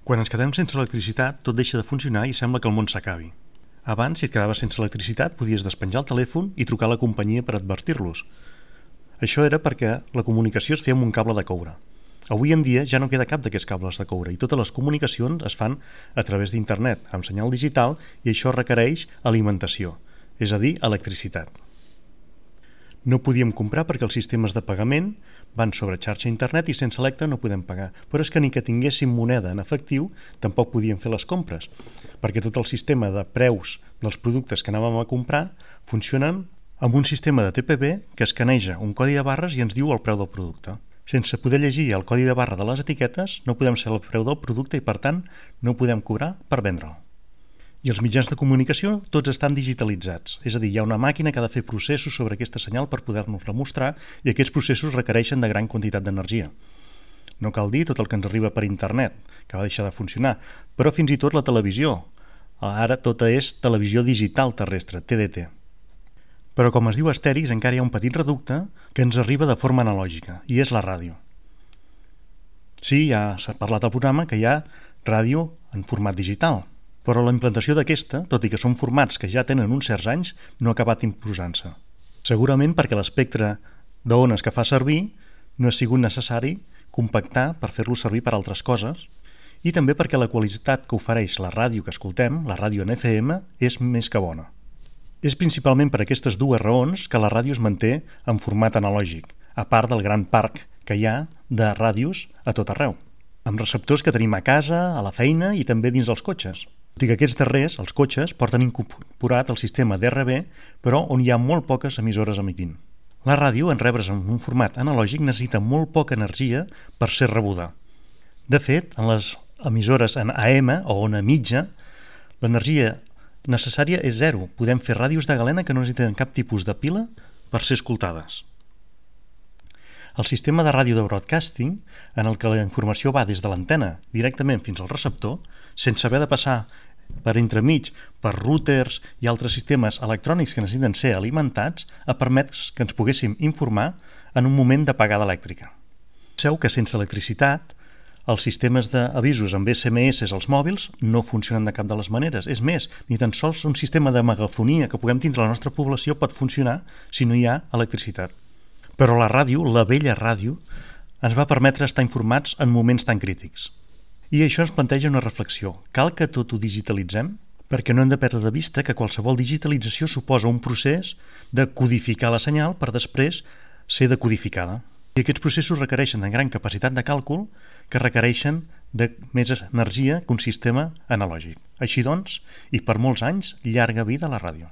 Quan ens quedem sense electricitat, tot deixa de funcionar i sembla que el món s'acabi. Abans, si et quedaves sense electricitat, podies despenjar el telèfon i trucar a la companyia per advertir-los. Això era perquè la comunicació es feia amb un cable de coure. Avui en dia ja no queda cap d'aquests cables de coure i totes les comunicacions es fan a través d'internet, amb senyal digital, i això requereix alimentació, és a dir, electricitat. No podíem comprar perquè els sistemes de pagament van sobre xarxa internet i sense Electra no podem pagar. Però és que ni que tinguéssim moneda en efectiu tampoc podíem fer les compres, perquè tot el sistema de preus dels productes que anàvem a comprar funcionen amb un sistema de TPV que escaneja un codi de barres i ens diu el preu del producte. Sense poder llegir el codi de barra de les etiquetes no podem saber el preu del producte i per tant no podem cobrar per vendre'l. I els mitjans de comunicació tots estan digitalitzats, és a dir, hi ha una màquina que ha de fer processos sobre aquesta senyal per poder-nos-la mostrar i aquests processos requereixen de gran quantitat d'energia. No cal dir tot el que ens arriba per internet, que va deixar de funcionar, però fins i tot la televisió. Ara tota és televisió digital terrestre, TDT. Però com es diu Astèrix, encara hi ha un petit reducte que ens arriba de forma analògica, i és la ràdio. Sí, ja s'ha parlat al programa que hi ha ràdio en format digital, però la implantació d'aquesta, tot i que són formats que ja tenen uns certs anys, no ha acabat imposant-se. Segurament perquè l'espectre d'ones que fa servir no ha sigut necessari compactar per fer-lo servir per altres coses i també perquè la qualitat que ofereix la ràdio que escoltem, la ràdio en FM, és més que bona. És principalment per aquestes dues raons que la ràdio es manté en format analògic, a part del gran parc que hi ha de ràdios a tot arreu, amb receptors que tenim a casa, a la feina i també dins dels cotxes. Tot i que aquests darrers, els cotxes, porten incorporat el sistema d'RB, però on hi ha molt poques emissores emitint. La ràdio, en rebre's en un format analògic, necessita molt poca energia per ser rebuda. De fet, en les emissores en AM o ona mitja, l'energia necessària és zero. Podem fer ràdios de galena que no necessiten cap tipus de pila per ser escoltades. El sistema de ràdio de broadcasting, en el que la informació va des de l'antena directament fins al receptor, sense haver de passar per entremig per routers i altres sistemes electrònics que necessiten ser alimentats, ha permès que ens poguéssim informar en un moment d'apagada elèctrica. Penseu que sense electricitat els sistemes d'avisos amb SMS als mòbils no funcionen de cap de les maneres. És més, ni tan sols un sistema de megafonia que puguem tindre a la nostra població pot funcionar si no hi ha electricitat. Però la ràdio, la vella ràdio, ens va permetre estar informats en moments tan crítics. I això ens planteja una reflexió. Cal que tot ho digitalitzem? Perquè no hem de perdre de vista que qualsevol digitalització suposa un procés de codificar la senyal per després ser decodificada. I aquests processos requereixen de gran capacitat de càlcul que requereixen de més energia que un sistema analògic. Així doncs, i per molts anys, llarga vida a la ràdio.